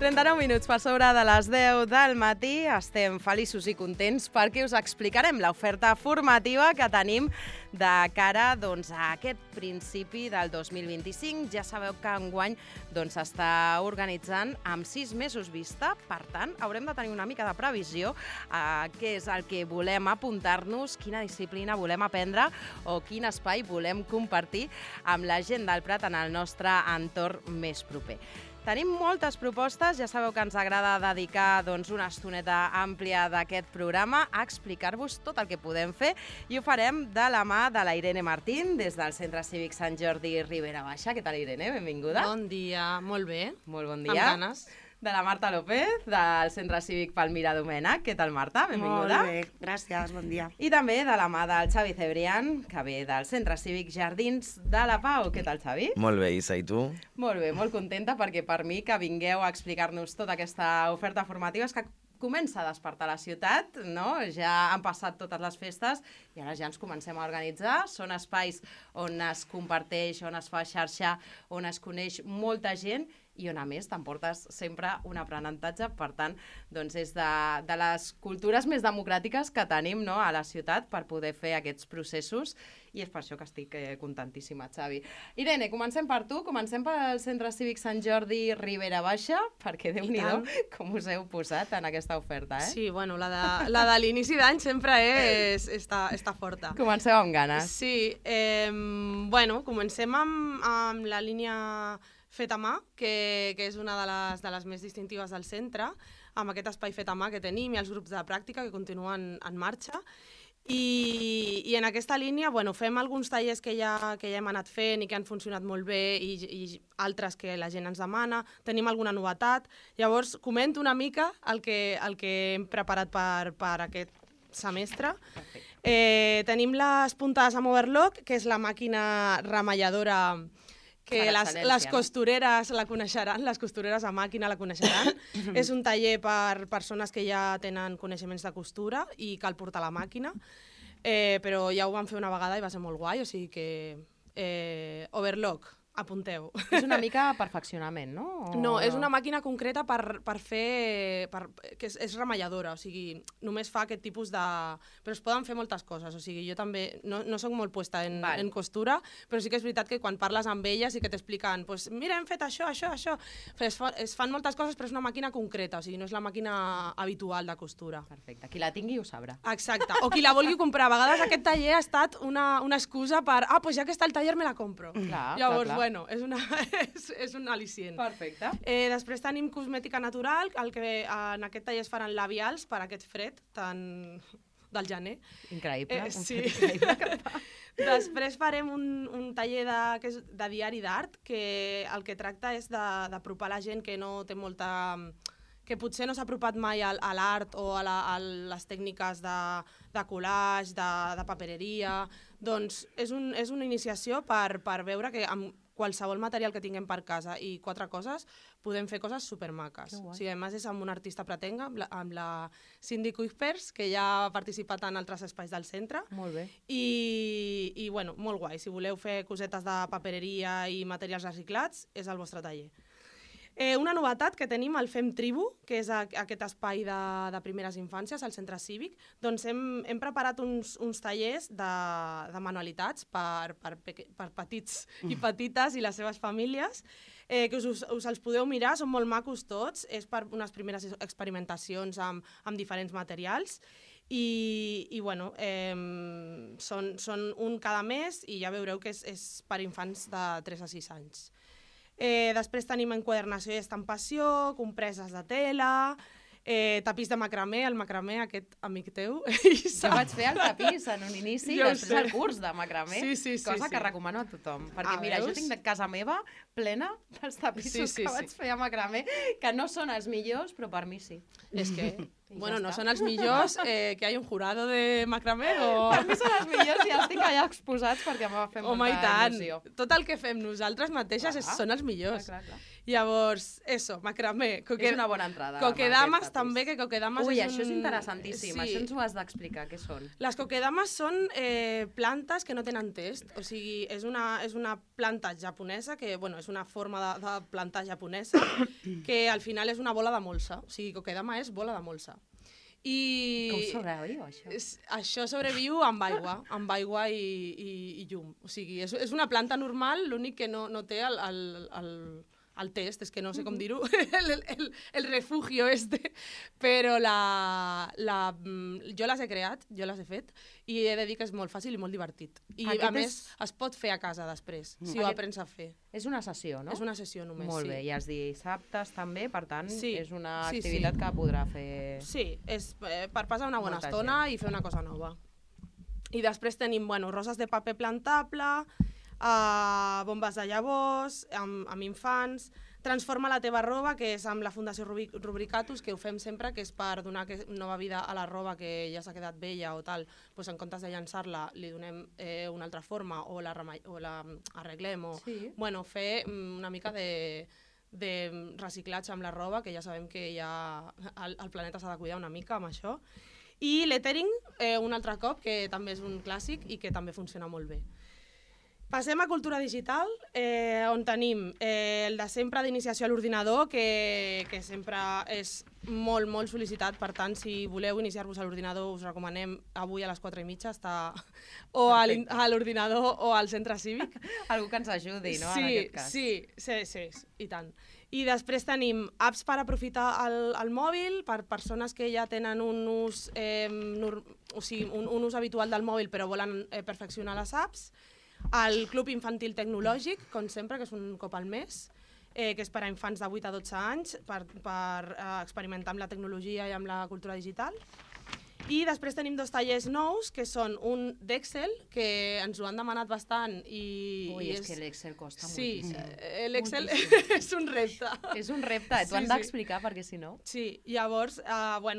39 minuts per sobre de les 10 del matí. Estem feliços i contents perquè us explicarem l'oferta formativa que tenim de cara a aquest principi del 2025. Ja sabeu que enguany s'està organitzant amb 6 mesos vista. Per tant, haurem de tenir una mica de previsió què és el que volem apuntar-nos, quina disciplina volem aprendre o quin espai volem compartir amb la gent del Prat en el nostre entorn més proper. Tenim moltes propostes, ja sabeu que ens agrada dedicar una estoneta àmplia d'aquest programa a explicar-vos tot el que podem fer i ho farem de la mà de la Irene Martín des del Centre Cívic Sant Jordi Ribera Baixa. Què tal, Irene? Benvinguda. Bon dia, molt bé. Molt bon dia. Amb ganes. De la Marta López, del Centre Cívic Palmira Domènech. Què tal, Marta? Benvinguda. Molt bé, gràcies, bon dia. I també de la mà del Xavi Cebrián, que ve del Centre Cívic Jardins de la Pau. Què tal, Xavi? Molt bé, Isa, i tu? Molt bé, molt contenta perquè per mi que vingueu a explicar-nos tota aquesta oferta formativa és que comença a despertar la ciutat, no? Ja han passat totes les festes i ara ja ens comencem a organitzar. Són espais on es comparteix, on es fa xarxa, on es coneix molta gent i on, a més, t'emportes sempre un aprenentatge. Per tant, és de les cultures més democràtiques que tenim, no?, a la ciutat per poder fer aquests processos i és per això que estic contentíssima, Xavi. Irene, comencem per tu, comencem pel Centre Cívic Sant Jordi Ribera Baixa, perquè Déu-n'hi-do com us heu posat en aquesta oferta, eh? Sí, bueno, la de l'inici d'any sempre està forta. Comenceu amb ganes. Sí, bueno, comencem amb la línia fet a mà, que és una de les més distintives del centre, amb aquest espai fet a mà que tenim i els grups de pràctica que continuen en marxa. I en aquesta línia fem alguns tallers que ja hem anat fent i que han funcionat molt bé i altres que la gent ens demana. Tenim alguna novetat. Llavors, comento una mica el que hem preparat per aquest semestre. Tenim les puntades amb overlock, que és la màquina remalladora que les costureres la coneixeran, les costureres a màquina la coneixeran. És un taller per persones que ja tenen coneixements de costura i cal portar la màquina, però ja ho vam fer una vegada i va ser molt guai, o sigui que overlock, apunteu. És una mica perfeccionament, no? No, és una màquina concreta per fer... que és remalladora, o sigui, només fa aquest tipus de... Però es poden fer moltes coses, o sigui, jo també no soc molt puesta en costura, però sí que és veritat que quan parles amb elles i que t'expliquen, doncs mira, hem fet això. Es fan moltes coses, però és una màquina concreta, o sigui, no és la màquina habitual de costura. Perfecte, qui la tingui ho sabrà. Exacte, o qui la vulgui comprar. A vegades aquest taller ha estat una excusa per, doncs ja que està el taller me la compro. Llavors, bueno, és un al·licient. Perfecte. Després tenim cosmètica natural, el que en aquest taller es faran labials per aquest fred tan del gener. Increïble. Sí. Després farem un taller que és de diari d'art, que el que tracta és d'apropar la gent que no té molta... que potser no s'ha apropat mai a l'art o a les tècniques de collage, de papereria. Doncs és una iniciació per veure que amb qualsevol material que tinguem per casa i 4 coses, podem fer coses supermaques. O sigui, a més, és amb una artista pretenga, amb la Cindy Kuipers, que ja ha participat en altres espais del centre. Molt bé. I bueno, molt guai. Si voleu fer cosetes de papereria i materials reciclats, és el vostre taller. Una novetat que tenim al Fem Tribu, que és aquest espai de primeres infàncies al centre cívic, doncs hem preparat uns tallers de manualitats per petits i petites i les seves famílies, que us els podeu mirar, són molt macos tots, és per unes primeres experimentacions amb diferents materials i bueno, són un cada mes i ja veureu que és per infants de 3 a 6 anys. Després tenim enquadernació i estampació, compreses de tela, tapís de macramé, el macramé, aquest amic teu. Jo vaig fer el tapís en un inici i després el curs de macramé, cosa que recomano a tothom. Perquè mira, jo tinc de casa meva plena dels tapissos que vaig fer a macramé, que no són els millors, però per mi sí. És que Bueno, no són els millors, que hi ha un jurado de macramé o... Per mi són els millors i els tinc allà exposats perquè m'ha fet Home, i molta tant. il·lusió. Tot el que fem nosaltres mateixes són els millors. Clar. Llavors, macramé. És una bona entrada. Coquedames també, que coquedames és un... Això és interessantíssim, això ens ho has d'explicar, què són? Les coquedames són plantes que no tenen test, o sigui, és una planta japonesa, que bueno, és una forma de plantar japonesa, que al final és una bola de molsa, o sigui, coquedama és bola de molsa. Com sobreviu, això? Això sobreviu amb aigua i llum. O sigui, és una planta normal, l'únic que no té el test, és que no sé com dir-ho, el refugio però jo les he creat, jo les he fet, i he de dir que és molt fàcil i molt divertit. I a més es pot fer a casa després, si ho aprens a fer. És una sessió, no? És una sessió només, sí. Molt bé, i els dissabtes també, per tant, és una activitat que podrà fer... Sí, és per passar una bona estona i fer una cosa nova. I després tenim, roses de paper plantable, bombes de llavors, amb infants, Transforma la teva roba, que és amb la Fundació Rubricatus, que ho fem sempre, que és per donar nova vida a la roba que ja s'ha quedat vella o tal, doncs en comptes de llançar-la li donem una altra forma o la arreglem o fer una mica de reciclatge amb la roba, que ja sabem que el planeta s'ha de cuidar una mica amb això. I lettering, un altre cop, que també és un clàssic i que també funciona molt bé. Passem a cultura digital, on tenim el de sempre d'iniciació a l'ordinador, que sempre és molt, molt sol·licitat. Per tant, si voleu iniciar-vos a l'ordinador, us recomanem avui a les 4:30 estar o a l'ordinador o al centre cívic. Algú que ens ajudi, no?, en aquest cas. Sí, i tant. I després tenim apps per aprofitar el mòbil, per persones que ja tenen un ús habitual del mòbil però volen perfeccionar les apps. El Club Infantil Tecnològic, com sempre, que és un cop al mes, que és per a infants de 8 a 12 anys, per experimentar amb la tecnologia i amb la cultura digital. I després tenim 2 tallers nous, que són un d'Excel, que ens ho han demanat bastant. És que l'Excel costa moltíssim. Sí, l'Excel és un repte. És un repte, t'ho han d'explicar perquè si no... Sí, llavors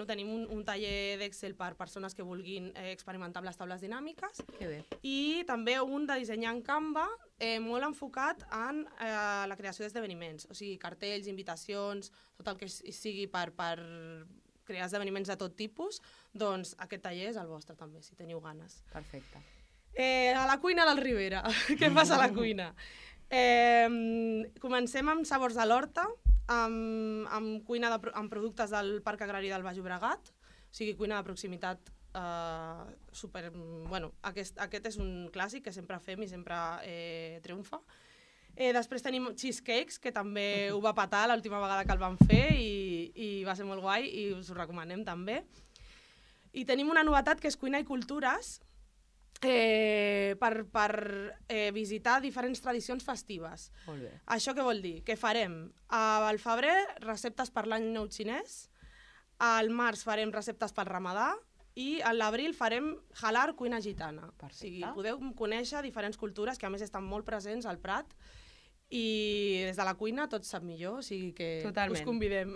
tenim un taller d'Excel per persones que vulguin experimentar amb les taules dinàmiques. Que bé. I també un de dissenyar en Canva, molt enfocat en la creació d'esdeveniments, o sigui, cartells, invitacions, tot el que sigui per crear esdeveniments de tot tipus, doncs aquest taller és el vostre també, si teniu ganes. Perfecte. A la cuina del Ribera. Què passa a la cuina? Comencem amb sabors de l'horta, amb cuina amb productes del Parc Agrari del Baix Llobregat, o sigui, cuina de proximitat super... Bueno, aquest és un clàssic que sempre fem i sempre triomfa. Després tenim cheesecakes, que també ho va patar l'última vegada que el vam fer i va ser molt guai i us ho recomanem també. I tenim una novetat que és cuina i cultures per visitar diferents tradicions festives. Molt bé. Això què vol dir? Que farem al febrer receptes per l'any nou xinès, al març farem receptes pel ramadà i a l'abril farem halar cuina gitana. O sigui, podeu conèixer diferents cultures que a més estan molt presents al Prat i des de la cuina tot sap millor, o sigui que us convidem.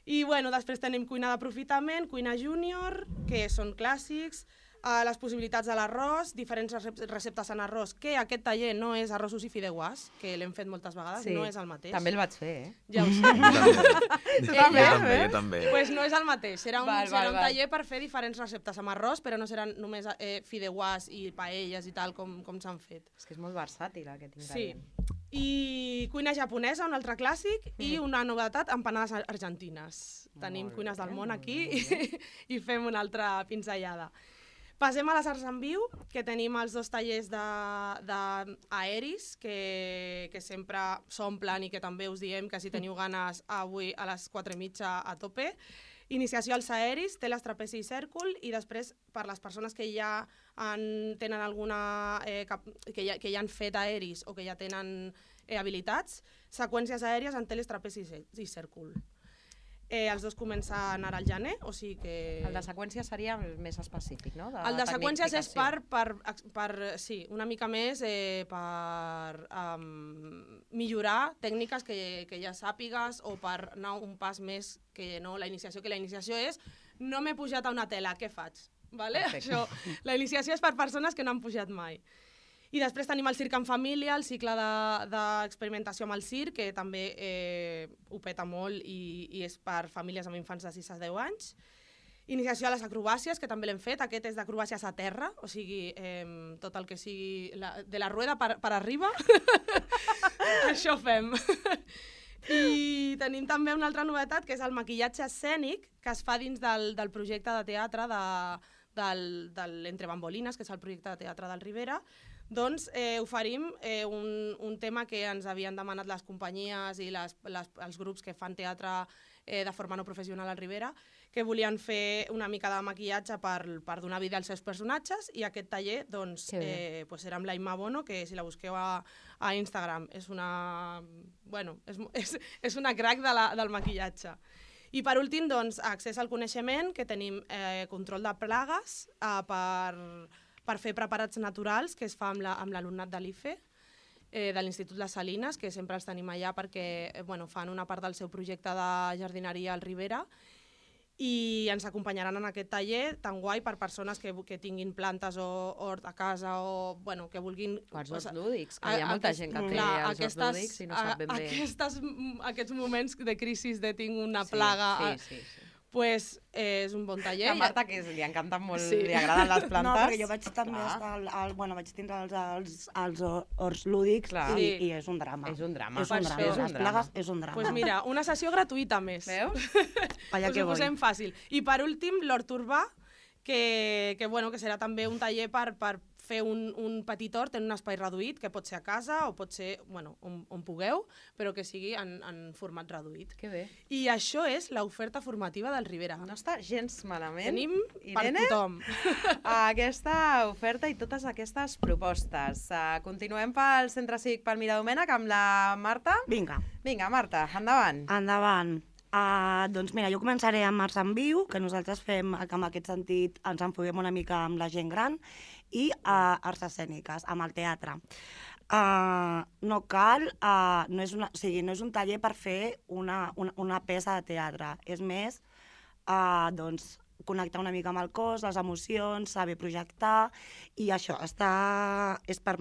I després tenim cuina d'aprofitament, cuina júnior, que són clàssics, les possibilitats de l'arròs, diferents receptes en arròs, que aquest taller no és arrossos i fideuàs, que l'hem fet moltes vegades, no és el mateix. També el vaig fer, Ja ho sé. Jo també. Doncs no és el mateix, serà un taller per fer diferents receptes amb arròs, però no seran només fideuàs i paelles i tal com s'han fet. És que és molt versàtil aquest ingredient. Sí. I cuina japonesa, un altre clàssic, i una novetat, empanades argentines. Tenim cuines del món aquí i fem una altra pinzellada. Passem a les arts en viu, que tenim els 2 tallers d'aeris, que sempre s'omplen i que també us diem que si teniu ganes avui a les 4:30 a tope. Iniciació als aeris, teles, trapezi i cèrcol, i després per les persones que ja tenen alguna... que ja han fet aeris o que ja tenen habilitats, seqüències aèries en teles, trapezi i cèrcol. Els dos comencen ara al gener, o sigui que... El de seqüències seria més específic, no? El de seqüències és sí, una mica més per millorar tècniques que ja sàpigues o per anar un pas més que no la iniciació, que la iniciació és no m'he pujat a una tela, què faig? Vale? Això, la iniciació és per persones que no han pujat mai. I després tenim el circ en família, el cicle d'experimentació amb el circ, que també ho peta molt i és per famílies amb infants de 6 a 10 anys. Iniciació a les acrobàcies, que també l'hem fet. Aquest és d'acrobàcies a terra, o sigui, tot el que sigui de la rueda per arriba. Això fem. I tenim també una altra novetat, que és el maquillatge escènic, que es fa dins del projecte de teatre d'Entre Bambolines, que és el projecte de teatre del Ribera. Doncs oferim un tema que ens havien demanat les companyies i els grups que fan teatre de forma no professional al Ribera, que volien fer una mica de maquillatge per donar vida als seus personatges, i aquest taller doncs, era amb la Imma Bono, que si la busqueu a Instagram és una crack del maquillatge. I per últim, doncs, accés al coneixement, que tenim control de plagues per fer preparats naturals, que es fa amb l'alumnat de l'IFE, de l'Institut Les Salines, que sempre els tenim allà perquè fan una part del seu projecte de jardineria al Ribera, i ens acompanyaran en aquest taller tan guai per persones que tinguin plantes o hort a casa o que vulguin... O els horts lúdics, que hi ha molta gent que té els horts lúdics i no sap ben bé... Aquests moments de crisi de tinc una plaga... Sí. Pues és un bon taller. A Marta, que li encanten molt, li agraden les plantes. No, perquè jo vaig també estar... vaig tindre els horts lúdics i és un drama. És un drama. Les plagues és un drama. Doncs mira, una sessió gratuïta més. Veus? Allà que ho posem fàcil. I per últim, l'hort urbà, que serà també un taller per fer un petit hort en un espai reduït, que pot ser a casa o pot ser on pugueu, però que sigui en format reduït. Que bé. I això és l'oferta formativa del Ribera. No està gens malament. Tenim per tothom. Aquesta oferta i totes aquestes propostes. Continuem pel Centre Cívic Palmira Domènech amb la Marta. Vinga, Marta, endavant. Endavant. Doncs mira, jo començaré amb Arts en Viu, que nosaltres fem, que en aquest sentit ens enfoquem una mica amb la gent gran, i arts escèniques, amb el teatre. No cal, no és un taller per fer una peça de teatre, és més, doncs, connectar una mica amb el cos, les emocions, saber projectar, i això és per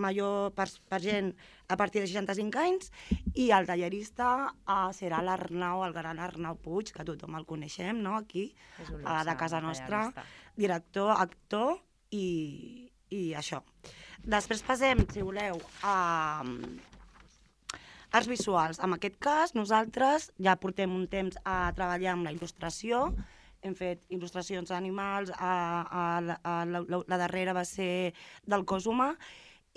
gent a partir de 65 anys, i el tallerista serà el gran Arnau Puig, que tothom el coneixem, no?, aquí, de casa nostra, director, actor i això. Després passem, si voleu, a arts visuals. En aquest cas, nosaltres ja portem un temps a treballar amb la il·lustració. Hem fet il·lustracions d'animals, la darrera va ser del cos humà,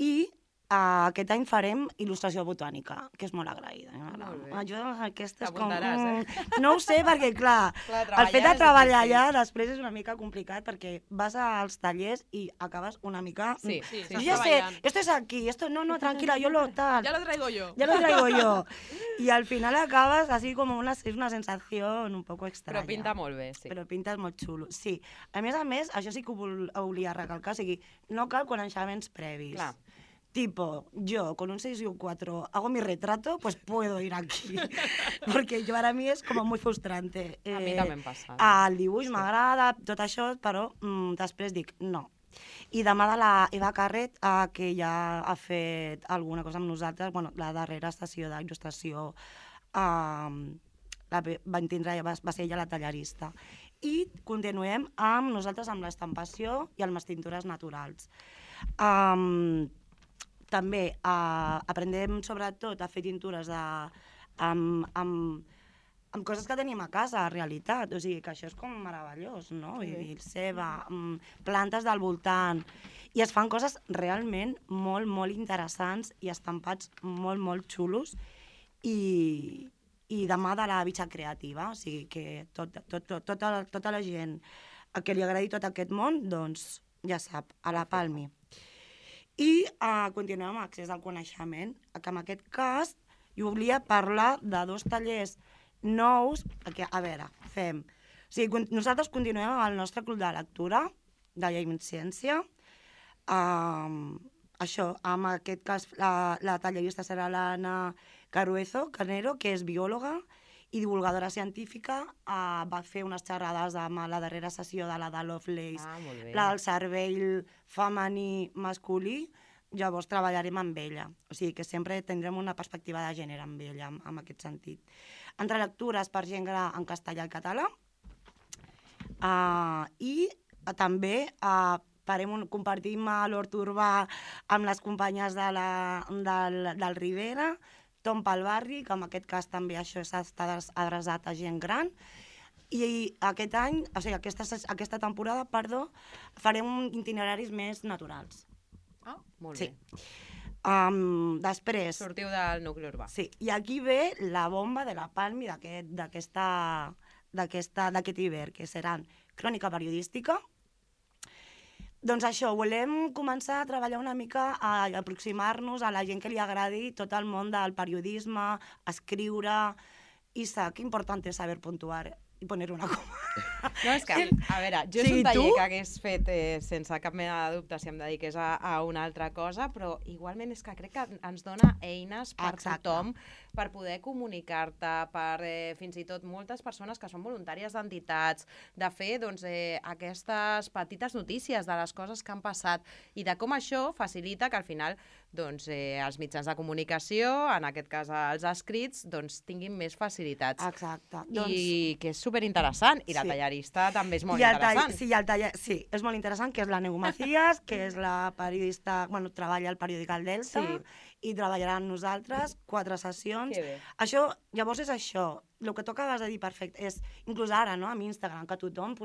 i aquest any farem il·lustració botànica, que és molt agraïda. Jo aquesta és com... No ho sé, perquè clar, el fet de treballar allà després és una mica complicat, perquè vas als tallers i acabes una mica... Sí, jo ja sé, esto es aquí, esto no, tranquila, yo lo tal... Ya lo traigo yo. Ya lo traigo yo. I al final acabes así com és una sensació un poco estranya. Però pinta molt bé, sí. Però pinta molt xulo, sí. A més, això sí que ho volia recalcar, o sigui, no cal coneixements previs. Clar. Tipo, yo con un 6 y un 4 hago mi retrato, pues puedo ir aquí. Porque para mí es como muy frustrante. A mi també em passa. El dibuix m'agrada, tot això, però després dic no. I demà de la Eva Carret, que ja ha fet alguna cosa amb nosaltres, la darrera estació d'il·lustració va ser ella la tallerista. I continuem amb nosaltres amb l'estampació i amb les tintures naturals. També aprendem sobretot a fer tintures amb coses que tenim a casa, en realitat. O sigui, que això és com meravellós, no? El ceba, plantes del voltant. I es fan coses realment molt, molt interessants i estampats molt, molt xulos. I demà de la bitxa creativa. O sigui, que tota la gent a qui li agradi tot aquest món, doncs ja sap, a la Palmi. I continuem amb accés al coneixement, que en aquest cas jo volia parlar de 2 tallers nous, perquè, a veure, fem... O sigui, nosaltres continuem amb el nostre club de lectura, de Llei i Ciència. Això, en aquest cas, la tallerista serà l'Anna Canero, que és biòloga i divulgadora científica. Va fer unes xerrades amb la darrera sessió de la de Lovelace, la del cervell femení masculí. Llavors treballarem amb ella. O sigui que sempre tindrem una perspectiva de gènere amb ella, en aquest sentit. Entre lectures per gent gran en castellà i català. I també compartim l'hort urbà amb les companyes del Rivera, Tom pel barri, que en aquest cas també això està adreçat a gent gran. I aquest any, o sigui, aquesta temporada, farem itineraris més naturals. Ah, molt bé. Després... Sortiu del nucli urbà. Sí, i aquí ve la bomba de la Palmi d'aquest hivern, que seran crònica periodística. Doncs això, volem començar a treballar una mica, a aproximar-nos a la gent que li agradi tot el món del periodisme, escriure, i que important és saber puntuar i poner una coma. No, és que, a veure, jo és un taller que hagués fet sense cap mena de dubte si em dediqués a una altra cosa, però igualment és que crec que ens dona eines per tothom, per poder comunicar-te, per fins i tot moltes persones que són voluntàries d'entitats, de fer aquestes petites notícies de les coses que han passat i de com això facilita que al final els mitjans de comunicació, en aquest cas els escrits, tinguin més facilitats. Exacte. I que és superinteressant. I la tallerista també és molt interessant. Sí, és molt interessant, que és la Neu Macías, que és la periodista, treballa al periòdic El Delta, i treballarà amb nosaltres 4 sessions. Que bé. Això, llavors és això. El que tu acabes de dir perfecte és, inclús ara, no?, amb Instagram, que tothom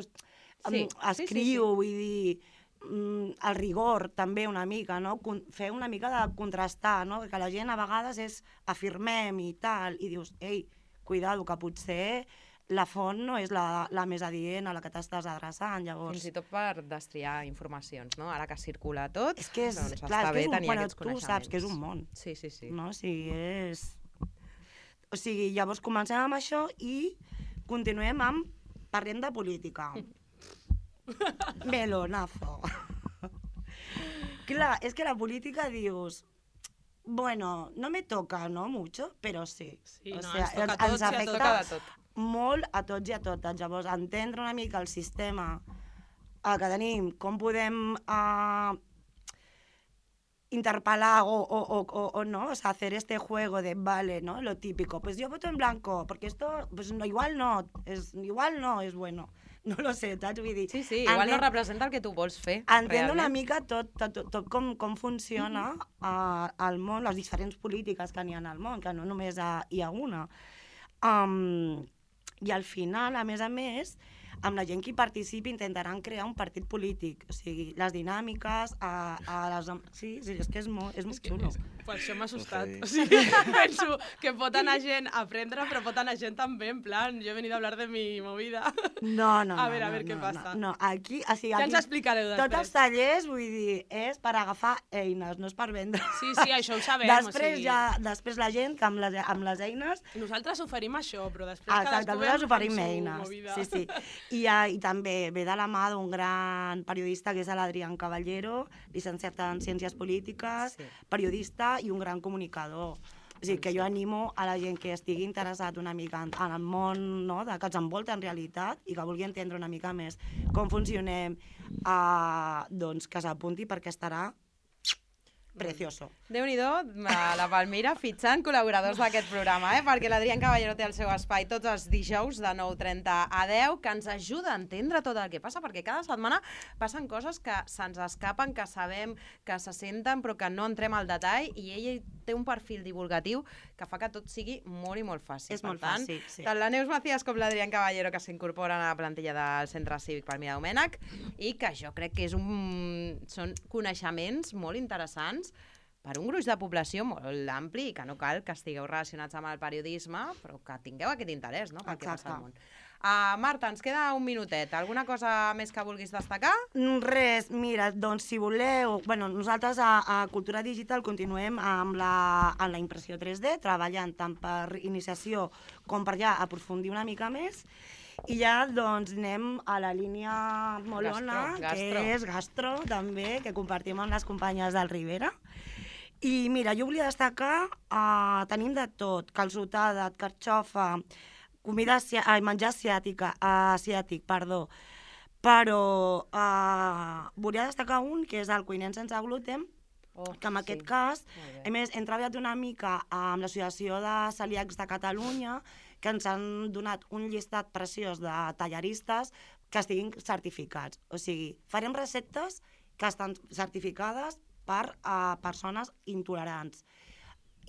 escriu, vull dir... el rigor també una mica, no? Fer una mica de contrastar, no? Que la gent a vegades és afirmem i tal, i dius, ei, cuidado, que potser la font no és la més adient a la que t'estàs adreçant, llavors... Fins i tot per destriar informacions, no? Ara que circula tot, és que està bé tenir aquests coneixements. Tu saps que és un món. Sí. No? O sigui, llavors comencem amb això i continuem amb... Parlem de política. Melonazo. Clar, és que la política dius, bueno, no me toca, no mucho, però sí. Sí, o sea, ens afecta molt a tots i a totes. Llavors, entendre una mica el sistema que tenim, com podem interpelar o no, o sea, hacer este juego de, vale, ¿no? Lo típico, pues yo voto en blanco, porque esto, pues no, igual no es bueno. No lo sé, saps? Vull dir... Sí, igual no representa el que tu vols fer. Entendre una mica tot com funciona el món, les diferents polítiques que n'hi ha al món, que no només hi ha una. I al final, a més, amb la gent que hi participi intentaran crear un partit polític. O sigui, les dinàmiques... Sí, és que és molt xulo. Per això m'ha assustat. O sigui, penso que pot anar gent a aprendre, però pot anar gent també en plan, jo he venido a hablar de mi movida. No. A veure què passa. No, aquí... Ja ens explicareu després. Tots els tallers, vull dir, és per agafar eines, no és per vendre. Sí, això ho sabem. Després la gent, que amb les eines... Nosaltres oferim això, però després cadascú ve amb su movida. Sí. I també ve de la mà d'un gran periodista, que és l'Adrián Caballero, llicenciat en Ciències Polítiques, periodista i un gran comunicador. O sigui, que jo animo a la gent que estigui interessat una mica en el món, no?, que ens envolta en realitat i que vulgui entendre una mica més com funcionem, doncs que s'apunti perquè estarà precioso. Déu-n'hi-do, la Palmira fitxant col·laboradors d'aquest programa, perquè l'Adrián Caballero té el seu espai tots els dijous de 9:30 a 10, que ens ajuda a entendre tot el que passa, perquè cada setmana passen coses que se'ns escapen, que sabem, que se senten, però que no entrem al detall, i ell té un perfil divulgatiu que fa que tot sigui molt i molt fàcil. És molt fàcil, sí. Tant la Neus Macías com l'Adrián Caballero, que s'incorporen a la plantilla del Centre Cívic Palmira Domènech, i que jo crec que són coneixements molt interessants per un gruix de població molt ampli i que no cal que estigueu relacionats amb el periodisme, però que tingueu aquest interès, no?, pel que passa al món. Marta, ens queda un minutet. Alguna cosa més que vulguis destacar? Res, mira, doncs si voleu... Bueno, nosaltres a Cultura Digital continuem amb la impressió 3D, treballant tant per iniciació com per ja aprofundir una mica més. I ja doncs anem a la línia molona, que és gastro, també, que compartim amb les companyes del Ribera. I mira, jo volia destacar, tenim de tot, calçotada, carxofa, menjar asiàtic, perdó. Però volia destacar un, que és el cuiner sense gluten, que en aquest cas, a més, hem treballat una mica amb l'Associació de Celíacs de Catalunya, que ens han donat un llistat preciós de tallaristes que estiguin certificats. O sigui, farem receptes que estan certificades per persones intolerants.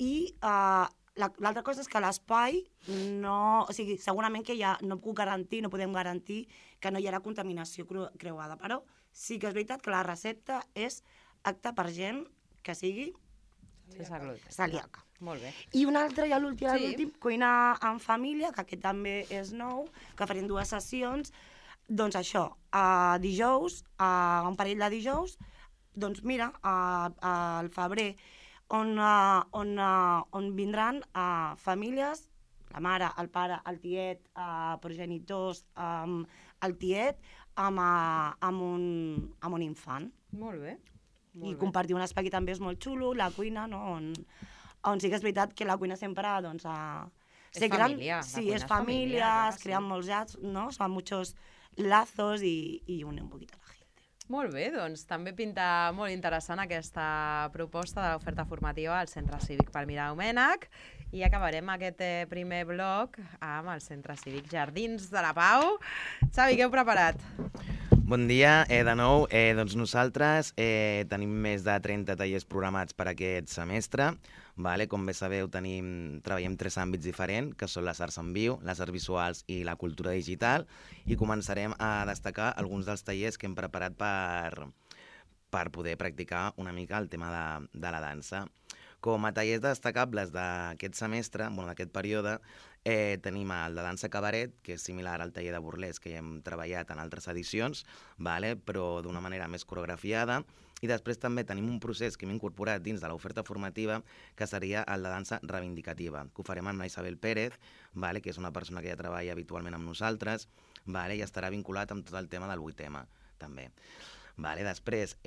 I l'altra cosa és que l'espai no... O sigui, segurament que ja no puc garantir, no podem garantir que no hi haurà contaminació creuada, però sí que és veritat que la recepta és apta per gent que sigui celíaca. Molt bé. I un altre, ja l'últim, cuina en família, que aquest també és nou, que farem 2 sessions. Doncs això, dijous, un parell de dijous, doncs mira, al febrer, on vindran famílies, la mare, el pare, el tiet, progenitors, el tiet, amb un infant. Molt bé. I compartir un espai que també és molt xulo, la cuina, no? On sí que és veritat que la cuina sempre, doncs... És família. Sí, és família, es creen molts llats, no? Son muchos lazos y une un poquito a la gente. Molt bé, doncs també pinta molt interessant aquesta proposta de l'oferta formativa al Centre Cívic Palmira Domènech i acabarem aquest primer bloc amb el Centre Cívic Jardins de la Pau. Xavi, què heu preparat? Bon dia, de nou. Doncs nosaltres tenim més de 30 tallers programats per aquest semestre. Vale? Com bé sabeu, treballem 3 àmbits diferents, que són les arts en viu, les arts visuals i la cultura digital, i començarem a destacar alguns dels tallers que hem preparat per poder practicar una mica el tema de la dansa. Com a tallers destacables d'aquest semestre, d'aquest període, tenim el de dansa cabaret, que és similar al taller de burlesc que ja hem treballat en altres edicions, però d'una manera més coreografiada. I després també tenim un procés que hem incorporat dins de l'oferta formativa, que seria el de dansa reivindicativa, que ho farem amb la Isabel Pérez, que és una persona que ja treballa habitualment amb nosaltres, i estarà vinculat amb tot el tema del 8M, també. Després,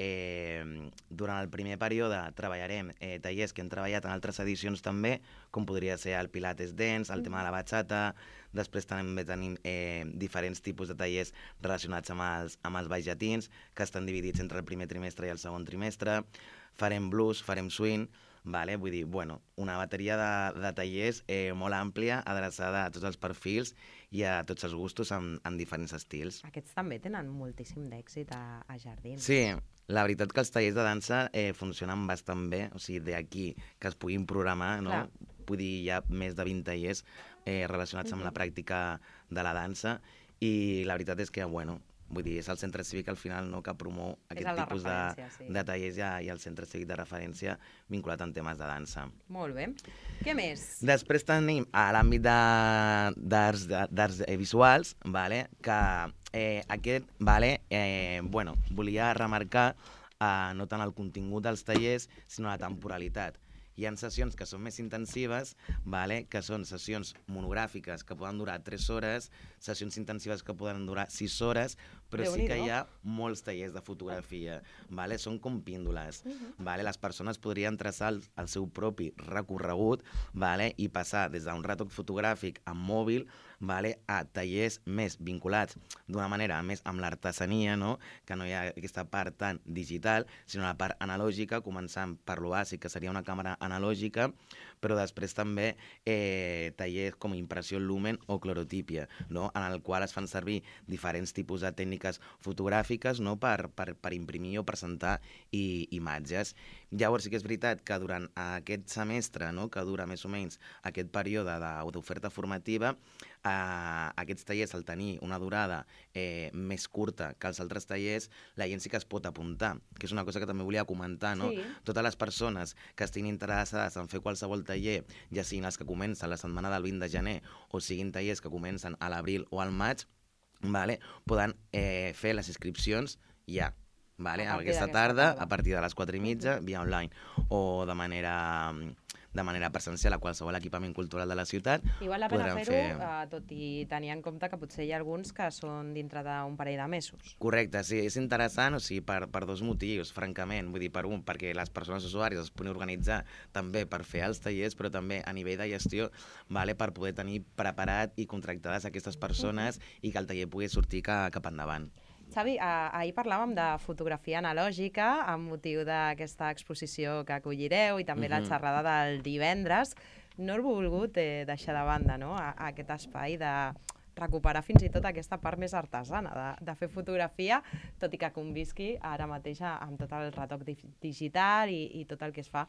durant el primer període treballarem tallers que hem treballat en altres edicions també, com podria ser el Pilates Dance, el tema de la bachata. Després també tenim diferents tipus de tallers relacionats amb els balls llatins, que estan dividits entre el primer trimestre i el segon trimestre. Farem blues, farem swing, vull dir, una bateria de tallers molt àmplia, adreçada a tots els perfils i a tots els gustos en diferents estils. Aquests també tenen moltíssim d'èxit a Jardins. Sí, la veritat que els tallers de dansa funcionen bastant bé, o sigui, d'aquí que es puguin programar, no? Vull dir, hi ha més de 20 tallers relacionats amb la pràctica de la dansa i la veritat és que, vull dir, és el centre cívic al final que promou aquest tipus de tallers i el centre cívic de referència vinculat en temes de dansa. Molt bé. Què més? Després tenim a l'àmbit d'arts visuals, que aquest, volia remarcar no tant el contingut dels tallers, sinó la temporalitat. Hi ha sessions que són més intensives, que són sessions monogràfiques que poden durar 3 hores, sessions intensives que poden durar 6 hores, però sí que hi ha molts tallers de fotografia, són com píndoles. Les persones podrien traçar el seu propi recorregut i passar des d'un retoc fotogràfic amb mòbil a tallers més vinculats d'una manera més amb l'artesania, que no hi ha aquesta part tan digital, sinó la part analògica, començant per lo bàsic, que seria una càmera analògica, però després també tallers com impressió lumen o clorotípia, en el qual es fan servir diferents tipus de tècniques fotogràfiques per imprimir o presentar imatges. Llavors sí que és veritat que durant aquest semestre, que dura més o menys aquest període d'oferta formativa, aquests tallers, al tenir una durada més curta que els altres tallers, la gent sí que es pot apuntar, que és una cosa que també volia comentar, no? Totes les persones que estiguin interessades en fer qualsevol qualsevol taller, ja siguin els que comencen la setmana del 20 de gener o siguin tallers que comencen a l'abril o al maig, vale, poden fer les inscripcions ja. Vale? Aquesta tarda, a partir de les 4:30, via online, o de manera presencial a qualsevol equipament cultural de la ciutat. I val la pena fer-ho, tot i tenir en compte que potser hi ha alguns que són dintre d'un parell de mesos. Correcte, sí, és interessant, o sigui, per dos motius, francament. Vull dir, per un, perquè les persones usuàries es puguin organitzar també per fer els tallers, però també a nivell de gestió, vale, per poder tenir preparat i contractades aquestes persones i que el taller pugui sortir cap endavant. Xavi, ahir parlàvem de fotografia analògica amb motiu d'aquesta exposició que acollireu i també la xerrada del divendres. No he volgut deixar de banda, no?, aquest espai de recuperar fins i tot aquesta part més artesana de fer fotografia, tot i que convisqui ara mateix amb tot el retoc digital i tot el que es fa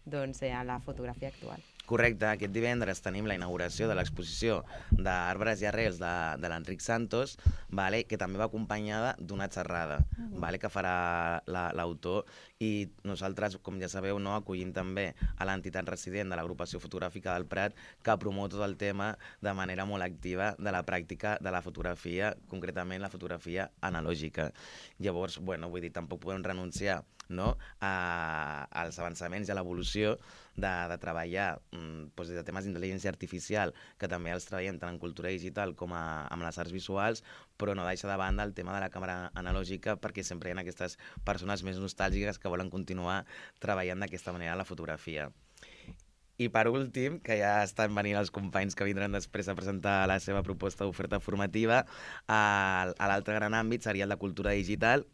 doncs, en la fotografia actual. Correcte, aquest divendres tenim la inauguració de l'exposició d'Arbres i Arrels de l'Enric Santos, vale, que també va acompanyada d'una xerrada vale, que farà l'autor, i nosaltres, com ja sabeu, no, acollim també a l'entitat resident de l'agrupació fotogràfica del Prat, que promou tot el tema de manera molt activa de la pràctica de la fotografia, concretament la fotografia analògica. Llavors, bueno, vull dir, tampoc podem renunciar, no, als avançaments i a l'evolució de treballar des de temes d'intel·ligència artificial, que també els treballem tant en cultura digital com amb les arts visuals, però no deixa de banda el tema de la càmera analògica, perquè sempre hi ha aquestes persones més nostàlgiques que volen continuar treballant d'aquesta manera la fotografia. I per últim, que ja estan venint els companys que vindran després a presentar la seva proposta d'oferta formativa, l'altre gran àmbit seria el de cultura digital,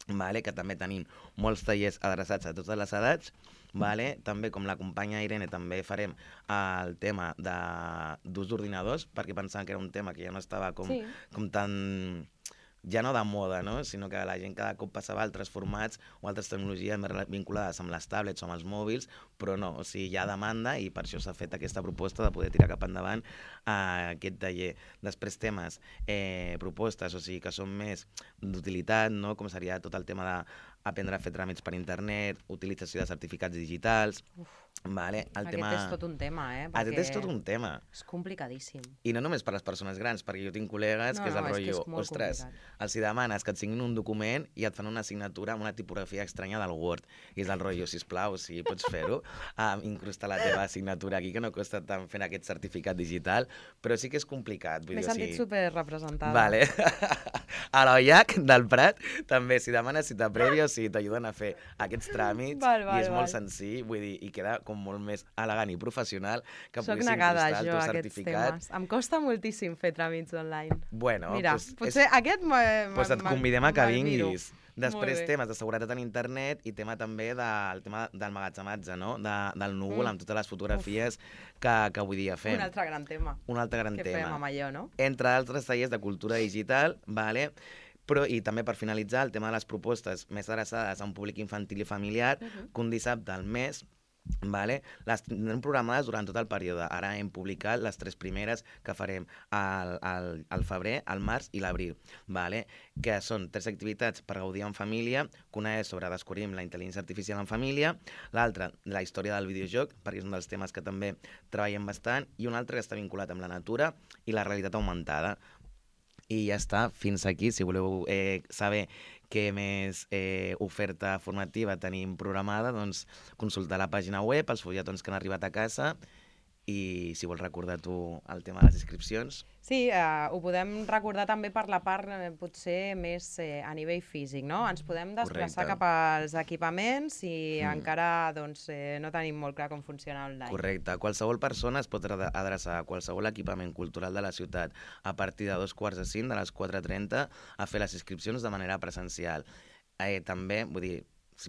vale, que també tenim molts tallers adreçats a totes les edats, vale? També, com la companya Irene, també farem el tema d'ús d'ordinadors, perquè pensàvem que era un tema que ja no estava com tan... ja no de moda, no? Sinó que la gent cada cop passava a altres formats o altres tecnologies més vinculades amb les tablets o amb els mòbils, però no, o sigui, hi ha demanda i per això s'ha fet aquesta proposta de poder tirar cap endavant aquest taller. Després temes, propostes, o sigui, que són més d'utilitat, no? Com seria tot el tema d'aprendre a fer tràmits per internet, utilització de certificats digitals... Vale, aquest és tot un tema, Aquest és tot un tema. És complicadíssim. I no només per les persones grans, perquè jo tinc col·legues que és el rotllo, ostres, els hi demanes que et signin un document i et fan una signatura amb una tipografia estranya del Word. I és el rotllo, sisplau, si pots fer-ho, incrustar la teva signatura aquí, que no costa tant fent aquest certificat digital, però sí que és complicat. M'he sentit superrepresentada. Vale. A l'OIAC del Prat, també, si demanes cita prèvia, o sigui, t'ajuden a fer aquests tràmits, i és molt senzill, vull dir, i queda com molt més elegant i professional que puguis incrustar el teu certificat. Em costa moltíssim fer tràmits online. Bueno, mira, potser aquest pues et convidem a que vinguis. Després temes de seguretat en internet i tema també del tema del magatzematge, no? Del núvol amb totes les fotografies que avui dia fem. Un altre gran tema. Un altre gran tema. Que fem amb allò, no? Entre altres tallers de cultura digital, vale? Però, i també per finalitzar, el tema de les propostes més adreçades a un públic infantil i familiar, que un dissabte al mes, vale? Les tindrem programades durant tot el període. Ara hem publicat les 3 primeres que farem al febrer, al març i l'abril, vale? Que són 3 activitats per gaudir en família, que una és sobre descobrim la intel·ligència artificial en família, l'altra la història del videojoc, perquè és un dels temes que també treballem bastant, i un altre que està vinculat amb la natura i la realitat augmentada. I ja està, fins aquí. Si voleu saber què més oferta formativa tenim programada, doncs consultar la pàgina web, els fulletons que han arribat a casa, i si vols recordar tu el tema de les inscripcions. Sí, ho podem recordar també per la part potser més a nivell físic, no? Ens podem desplaçar cap als equipaments i encara no tenim molt clar com funciona online. Correcte. Qualsevol persona es pot adreçar a qualsevol equipament cultural de la ciutat a partir de 2:45, de les 4:30, a fer les inscripcions de manera presencial. També, vull dir,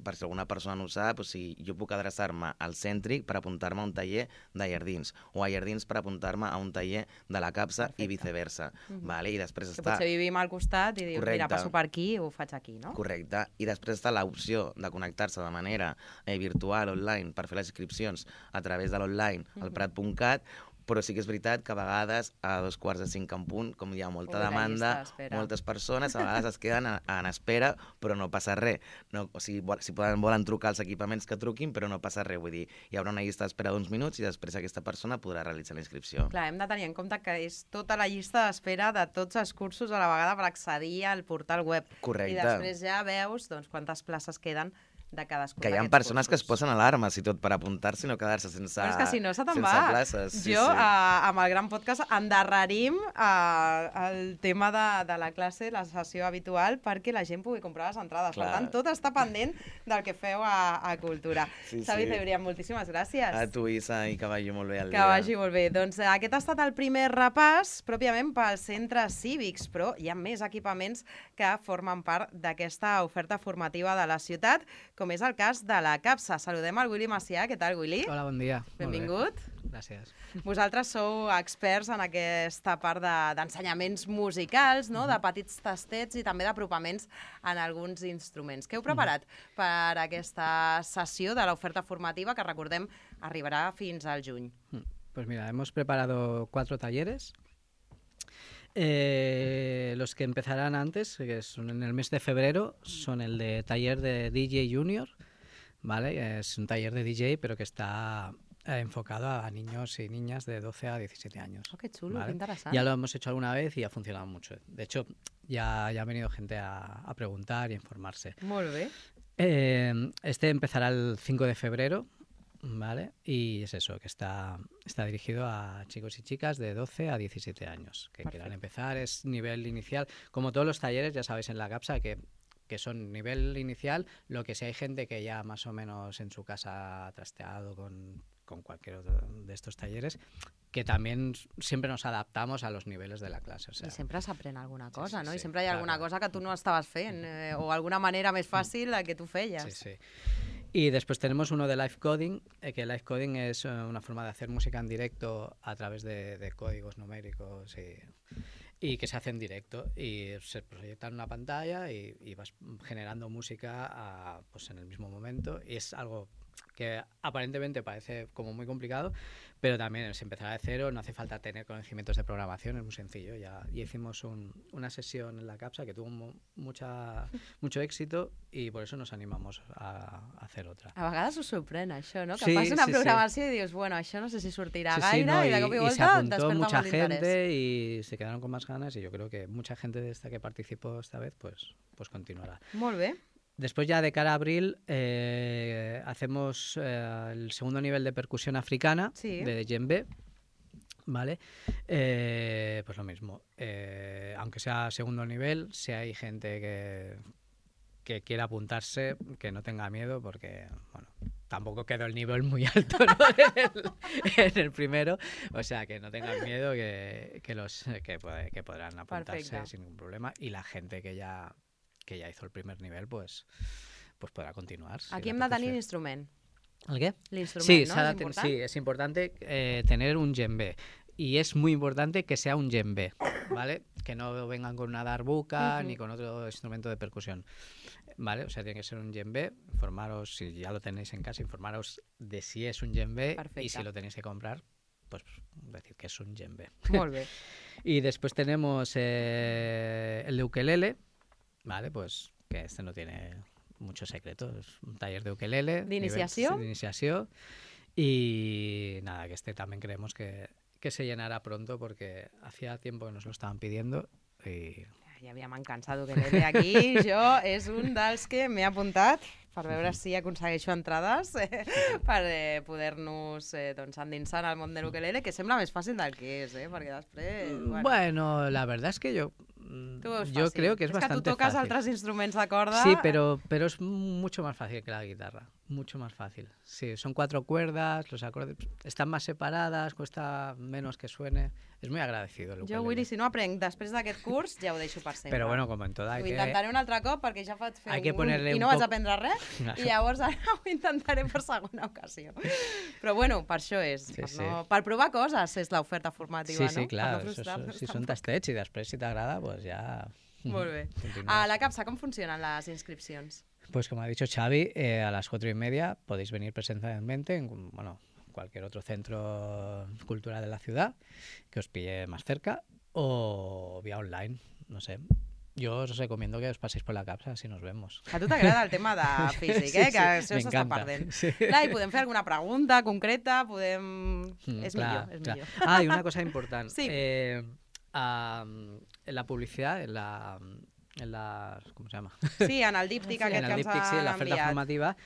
per si alguna persona no ho sap, o sigui, jo puc adreçar-me al Cèntric per apuntar-me a un taller de Llardins, o a Llardins per apuntar-me a un taller de la Capsa i viceversa. Vale? I després que potser vivim al costat i dius, mira, passo per aquí, ho faig aquí, no? Correcte. I després està l'opció de connectar-se de manera virtual, online, per fer les inscripcions a través de l'online, al prat.cat, però sí que és veritat que a vegades a 2:45 en punt, com hi ha molta demanda, moltes persones a vegades es queden en espera, però no passa res. No, o sigui, si volen trucar als equipaments que truquin, però no passa res. Vull dir, hi haurà una llista d'espera d'uns minuts i després aquesta persona podrà realitzar la inscripció. Clar, hem de tenir en compte que és tota la llista d'espera de tots els cursos a la vegada per accedir al portal web. Correcte. I després ja veus doncs, quantes places queden de cadascun que hi ha persones cursos que es posen alarmes i tot per apuntar-se i no quedar-se sense places. És que si no se te'n va. Places. Jo, amb el Gran Podcast, endarrerim el tema de la classe, la sessió habitual, perquè la gent pugui comprar les entrades. Clar. Per tant, tot està pendent del que feu a Cultura. Xavi Cebrián, moltíssimes gràcies. A tu, Isa, i que vagi molt bé el dia. Que vagi molt bé. Doncs aquest ha estat el primer repàs, pròpiament pels centres cívics, però hi ha més equipaments que formen part d'aquesta oferta formativa de la ciutat, com és el cas de la CAPSA. Saludem al Willy Macià. Què tal, Willy? Hola, bon dia. Benvingut. Gràcies. Vosaltres sou experts en aquesta part d'ensenyaments musicals, no? De petits tastets i també d'apropaments en alguns instruments. Què heu preparat per aquesta sessió de l'oferta formativa que, recordem, arribarà fins al juny? Pues mira, hemos preparado 4 talleres. Los que empezarán antes, que son en el mes de febrero, son el de taller de DJ Junior, ¿vale? Es un taller de DJ, pero que está enfocado a niños y niñas de 12 a 17 años. Oh, qué chulo, ¿vale? qué interesante. Ya lo hemos hecho alguna vez y ha funcionado mucho. De hecho, ya ha venido gente a preguntar y a informarse. Molt bé. Este empezará el 5 de febrero. ¿Vale? Y es eso, que está dirigido a chicos y chicas de 12 a 17 años que quieran empezar. Es nivel inicial, como todos los talleres, ya sabéis en la CAPSA que son nivel inicial, lo que si hay gente que ya más o menos en su casa ha trasteado con cualquier otro de estos talleres, que también siempre nos adaptamos a los niveles de la clase. O sea, I sempre s'aprèn alguna cosa, sí, no? sí, I sempre hi ha alguna cosa que tu no estaves fent, o alguna manera més fàcil que tu feies. Sí, sí. Y después tenemos uno de live coding, que live coding es una forma de hacer música en directo a través de códigos numéricos y que se hace en directo y se proyecta en una pantalla y vas generando música pues en el mismo momento, y es algo que aparentemente parece como muy complicado, pero también se empezará de cero, no hace falta tener conocimientos de programación, es muy sencillo. Ya hicimos una sesión en la CAPSA que tuvo mucho éxito y por eso nos animamos a hacer otra. A vegades us sorprèn això, no? Que Sí, fas una sí, programació i dius, bueno, això no sé si sortirà Sí, gaire, no, i de cop i se volta apuntó desperta mucha molt d'interès. gente y se quedaron con más ganas, y yo creo que mucha gente de esta que participó esta vez pues continuará. Molt bé. Después ya de cara a abril hacemos el segundo nivel de percusión africana, Sí. de djembe, ¿vale? Pues lo mismo, aunque sea segundo nivel, si hay gente que quiera apuntarse, que no tenga miedo, porque bueno, tampoco quedó el nivel muy alto, ¿no? en el primero, o sea, que no tengan miedo, que podrán apuntarse. Perfecte. Sin ningún problema, y la gente que ya hizo el primer nivel, pues podrá continuar. Si Aquí le hem de tenir apetece. l'instrument. ¿El qué? L'instrument, Sí, no? s'ha És de important? sí, es importante tener un djembe. Y es muy importante que sea un djembe, ¿vale? Que no vengan con una darbuka ni con otro instrumento de percusión, ¿vale? O sea, tiene que ser un djembe. Informaros, si ya lo tenéis en casa, informaros de si es un djembe. Perfecte. Y si lo tenéis que comprar, pues decir que es un djembe. Molt bé. Y después tenemos el de ukelele, ¿vale? Pues que este no tiene mucho secreto, es un taller de ukelele. ¿D'iniciació? De iniciación. Y nada, que este también creemos que se llenará pronto, porque hacía tiempo que nos lo estaban pidiendo y... Ja havia mancança d'ukelele aquí. Jo és un dels que m'he apuntat per veure si aconsegueixo entrades per poder-nos doncs, endinsar en el món de l'ukelele, que sembla més fàcil del que és, perquè després... Bueno, la verdad es que yo creo que es bastante fàcil. És que tu toques fácil. altres instruments de corda... Sí, pero es mucho más fácil que la guitarra, mucho más fácil. Sí, son 4 cuerdas, los acordes están más separadas, cuesta menos que suene. Es muy agradecido el ukelele. Jo, Willy, si no aprenc després d'aquest curs, ja ho deixo per sempre. Pero bueno, como en toda... Ho intentaré un altre cop perquè ja vaig fer Hay que ponerle i un no vaig poc- aprendre res, i llavors ara ho intentaré per segona ocasió. Però bueno, per això és. Sí, sí. Per provar coses és l'oferta formativa, Sí, no? claro, Per no frustrar-nos si son tampoc. tastets i després si t'agrada, pues ya... Molt bé. continúas. A la CAPSA, com funcionen les inscripcions? Pues como ha dicho Xavi, a las 4:30 podéis venir presencialmente en cualquier otro centro cultural de la ciudad que os pille más cerca o vía online, no sé. Yo os recomiendo que os paséis por la capsa si nos vemos. A tu t'agrada el tema de físic, Sí, que això s'està m'encanta. perdent. Sí. Clar, i podem fer alguna pregunta concreta, podem... És Clar, millor, és clar. millor. Ah, y una cosa importante. Sí. En la publicidad, en la ¿cómo se llama? Sí, en el díptic aquest En que el ens díptic, sí, en la han oferta enviat. formativa.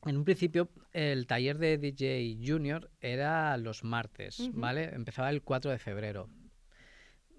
En un principio, el taller de DJ Junior era los martes, ¿vale? Empezaba el 4 de febrero.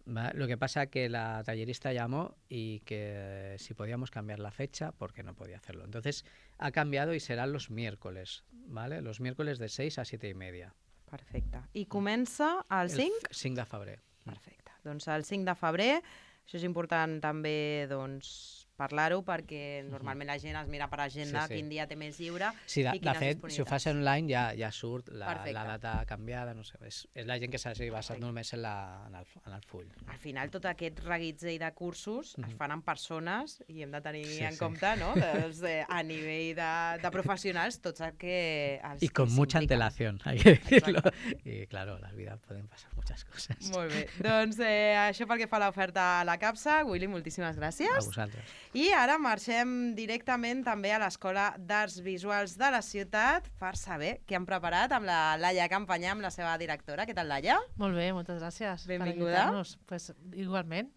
¿Vale? Lo que pasa que la tallerista llamó y que si podíamos cambiar la fecha, porque no podía hacerlo. Entonces ha cambiado y serán los miércoles, ¿vale? Los miércoles de 6 a 7:30. Perfecte. I comença el 5? 5 de febrer. Perfecte. Doncs el 5 de febrer, això és important també doncs, parlar-ho perquè normalment la gent es mira per agenda Sí. quin dia té més lliure Sí, i de quines fet, si ho fas disponibilitats. online ja surt Perfecte. la data canviada, no sé. És la gent que s'hagi basat només en el full. Al final, tot aquest reguitzell de cursos es fan amb persones i hem de tenir Sí, en sí. compte, no? Doncs, a nivell de professionals, tots els que... Els Y con que mucha s'impliquen. antelación, hay que decirlo. Exacto. Y claro, en la vida pueden pasar muchas cosas. Molt bé. Doncs això pel que fa a l'oferta a la capsa. Willy, moltíssimes A gràcies. vosaltres. I ara marxem directament també a l'Escola d'Arts Visuals de la ciutat per saber què han preparat amb la Laia Campanyà, amb la seva directora. Què tal, Laia? Molt bé, moltes gràcies. Benvinguda. Per invitar-nos. Pues, igualment.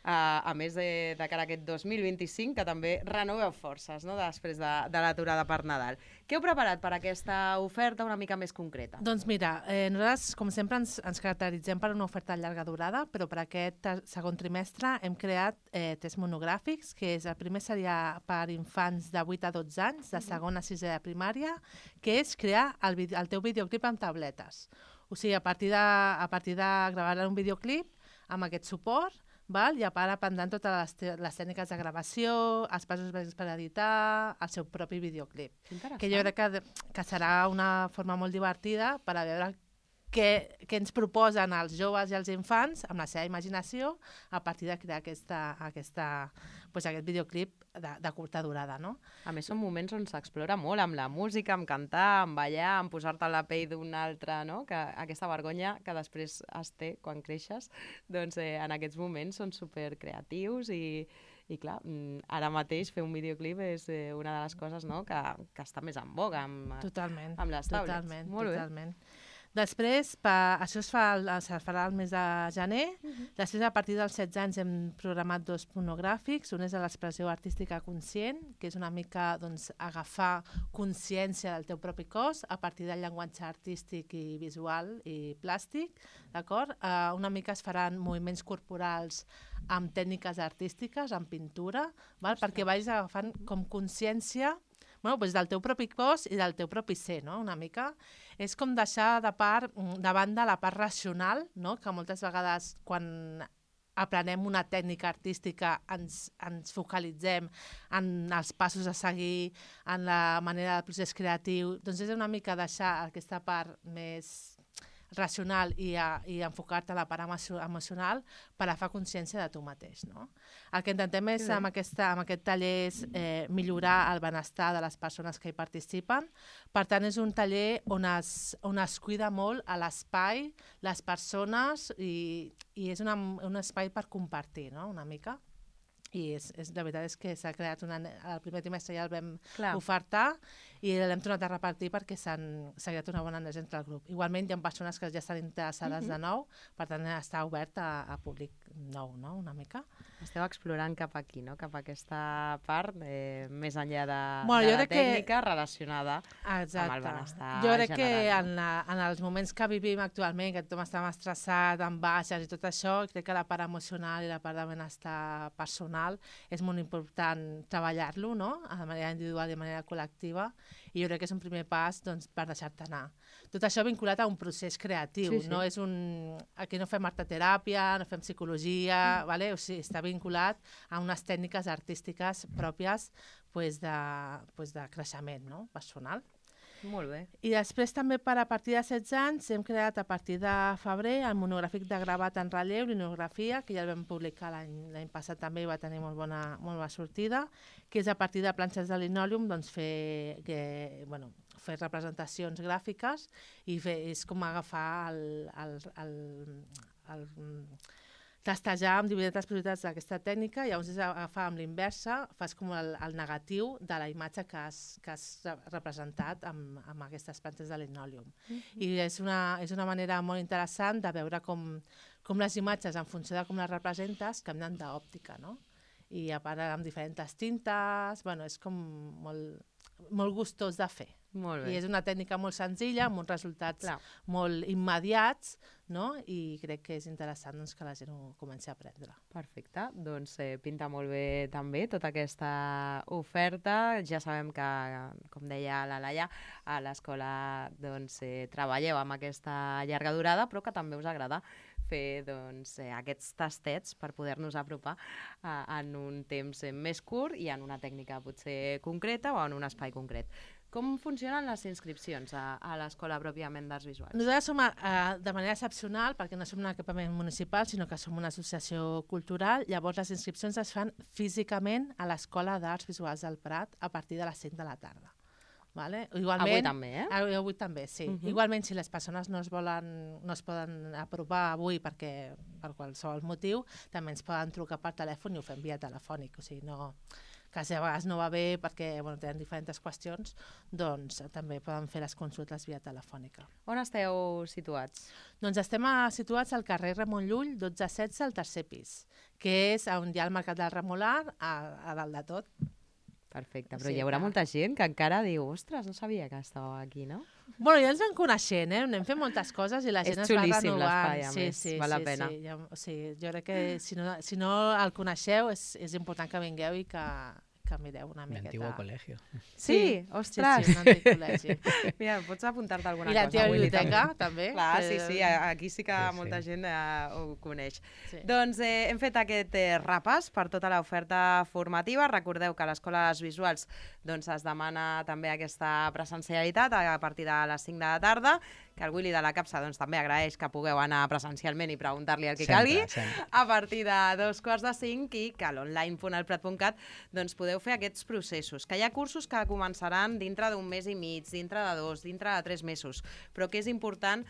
A més de cara a aquest 2025, que també renoveu forces, no?, després de l'aturada per Nadal. Què heu preparat per aquesta oferta una mica més concreta? Doncs mira, nosaltres, com sempre, ens caracteritzem per una oferta de llarga durada, però per aquest segon trimestre hem creat 3 monogràfics, que és el primer seria per infants de 8 a 12 anys, de segona a 6è de primària, que és crear el teu videoclip amb tabletes. O sigui, a partir de gravar un videoclip amb aquest suport, val? I a part aprendran totes les tècniques de gravació, els passos bàsics per editar, el seu propi videoclip. Que jo crec que serà una forma molt divertida per a veure què ens proposen els joves i els infants amb la seva imaginació a partir de crear aquest videoclip de curta durada, no? A més, són moments on s'explora molt amb la música, amb cantar, amb ballar, amb posar-te a la pell d'un altre, no? Que aquesta vergonya que després es té quan creixes, doncs en aquests moments són supercreatius i clar, ara mateix fer un videoclip és una de les coses, no?, que està més en boga amb les tablets. Totalment. Després, això es farà el mes de gener. Després, a partir dels 16 anys, hem programat 2 monogràfics. Un és de l'expressió artística conscient, que és una mica agafar consciència del teu propi cos a partir del llenguatge artístic i visual i plàstic, d'acord? Una mica es faran moviments corporals amb tècniques artístiques, amb pintura, perquè vagis agafant com consciència del teu propi cos i del teu propi ser, no? Una mica. És com deixar de banda la part racional, no? Que moltes vegades quan aprenem una tècnica artística ens focalitzem en els passos a seguir, en la manera del procés creatiu. Doncs és una mica deixar aquesta part més racional i enfocar-te a la part emocional per a fer consciència de tu mateix, no? El que intentem és, amb aquest taller és millorar el benestar de les persones que hi participen. Per tant, és un taller on es cuida molt a l'espai, les persones, i és un espai per compartir, no?, una mica. I la veritat és que s'ha creat el primer trimestre ja el vam ofertar i l'hem tornat a repartir perquè s'ha creat una bona energia entre el grup. Igualment hi ha persones que ja estan interessades de nou, per tant està obert a públic nou, no?, una mica. Esteu explorant cap aquí, no?, cap a aquesta part més enllà de la tècnica relacionada amb el benestar general. Jo crec que en els moments que vivim actualment, que tothom està estressat, amb baixes i tot això, crec que la part emocional i la part de benestar personal és molt important treballar-lo, no?, de manera individual i de manera col·lectiva, i jo crec que és un primer pas per deixar-te anar. Tot això vinculat a un procés creatiu, no és aquí no fem arteteràpia, no fem psicologia, o sigui, està vinculat a unes tècniques artístiques pròpies de creixement, no?, personal. Molt bé. I després també a partir de 16 anys hem creat a partir de febrer el monogràfic de gravat en relleu, linografia, que ja el vam publicar l'any passat també i va tenir molt bona sortida, que és a partir de planxes de linòleum fer representacions gràfiques i és com agafar testejar amb diferents possibilitats d'aquesta tècnica i llavors és agafar amb l'inversa, fas com el negatiu de la imatge que has representat amb aquestes plantes de linòleum. I és una manera molt interessant de veure com les imatges, en funció de com les representes, canvien d'òptica, no? I a part amb diferents tintes, bueno, és com molt gustós de fer. Molt bé. I és una tècnica molt senzilla, amb uns resultats molt immediats, no? I crec que és interessant doncs, que la gent ho comenci a aprendre. Perfecte, doncs pinta molt bé també tota aquesta oferta. Ja sabem que, com deia la Laia, a l'escola doncs, treballeu amb aquesta llarga durada, però que també us agrada fer doncs, aquests tastets per poder-nos apropar en un temps més curt i en una tècnica potser concreta o en un espai concret. Com funcionen les inscripcions a l'escola pròpiament d'Arts Visuals? Nosaltres som de manera excepcional, perquè no som un equipament municipal, sinó que som una associació cultural. Llavors les inscripcions es fan físicament a l'Escola d'Arts Visuals del Prat a partir de les 5 de la tarda. Vale? Igualment, avui també, eh? Avui també, sí. Igualment, si les persones no es poden apropar avui per qualsevol motiu, també ens poden trucar per telèfon i ho fem via telefònic. O sigui, que si a vegades no va bé perquè tenen diferents qüestions, doncs també poden fer les consultes via telefònica. On esteu situats? Doncs estem situats al carrer Ramon Llull, 12-16, al tercer pis, que és on hi ha el Mercat del Remolar, a dalt de tot. Perfecte, però hi haurà molta gent que encara diu, ostres, no sabia que estàveu aquí, no? Bueno, ja ens vam coneixent, anem fent moltes coses i la gent es va renovant. És xulíssim l'espai, a més, val la pena. Sí, jo crec que si no el coneixeu és important que vingueu i que mireu una miqueta. L'antigo col·legi. Sí, ostres. Sí, un antic col·legi. Mira, pots apuntar-te alguna cosa. I l'antiga biblioteca, també. Clar, sí, aquí sí que molta gent ho coneix. Doncs hem fet aquest repàs per tota l'oferta formativa. Recordeu que a l'Escola d'Arts Visuals es demana també aquesta presencialitat a partir de les 5 de la tarda, que el Willy de la Capsa també agraeix que pugueu anar presencialment i preguntar-li el que calgui, a partir de 2:45 i que a l'online.elprat.cat podeu fer aquests processos, que hi ha cursos que començaran dintre d'un mes i mig, dintre de 2, dintre de 3 mesos, però que és important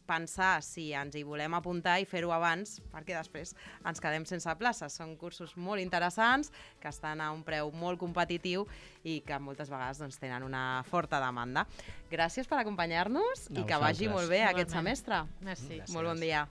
pensar si ens hi volem apuntar i fer-ho abans, perquè després ens quedem sense places. Són cursos molt interessants, que estan a un preu molt competitiu i que moltes vegades tenen una forta demanda. Gràcies per acompanyar-nos i que vagi molt bé aquest semestre. Merci. Molt bon dia.